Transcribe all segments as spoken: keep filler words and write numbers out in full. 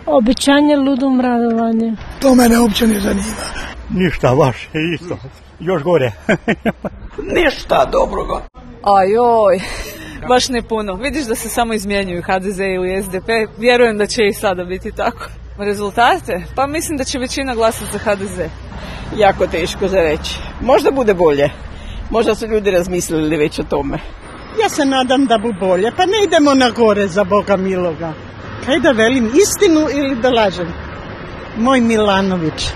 Obećanje, ludom radovanje. To mene uopće ne zanima. Ništa, vaše isto. Još gore. Ništa dobroga. Ajoj, baš ne puno. Vidiš da se samo izmjenjuju ha de ze ili es de pe. Vjerujem da će i sada biti tako. Rezultate? Pa mislim da će većina glasati za ha de ze. Jako teško za reći. Možda bude bolje. Možda su ljudi razmislili već o tome. Ja se nadam da bu bolje. Pa ne idemo na gore za Boga miloga. Kaj da velim, istinu ili da lažem? Moj Milanović.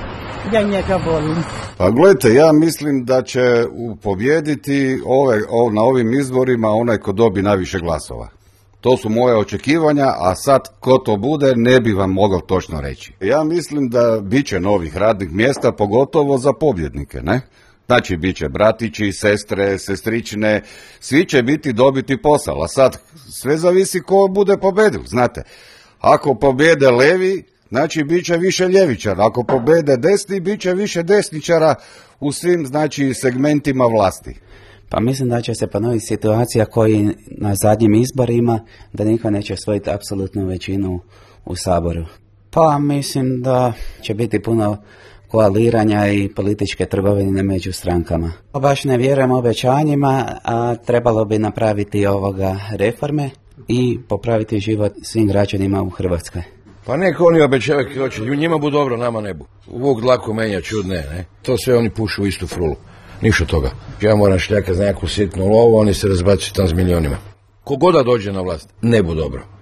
Ja njega volim. Pa gledajte, ja mislim da će pobijediti ove, o, na ovim izborima onaj ko dobi najviše glasova. To su moje očekivanja, a sad ko to bude ne bi vam mogao točno reći. Ja mislim da bit će novih radnih mjesta, pogotovo za pobjednike, ne? Znači, bit će bratići, sestre, sestrične, svi će biti dobiti posao, a sad sve zavisi ko bude pobedil, znate. Ako pobjede levi, znači bit će više ljevičara, ako pobjede desni, bit će više desničara u svim, znači, segmentima vlasti. Pa mislim da će se ponoviti situacija koji na zadnjim izborima, da niko neće osvojiti apsolutnu većinu u Saboru. Pa mislim da će biti puno koaliranja i političke trgovine među strankama. Baš ne vjerujem obećanjima, a trebalo bi napraviti ovoga reforme i popraviti život svim građanima u Hrvatskoj. Pa neko oni obećavaju kako hoće, njima bu dobro, nama ne bu. Vuk dlaku menja čudne, ne? To sve oni pušu u istu frulu. Ništa toga. Ja moram šljaka za neku sitnu lovu, oni se razbacuju tam s milionima. Kogoda dođe na vlast, ne bu dobro.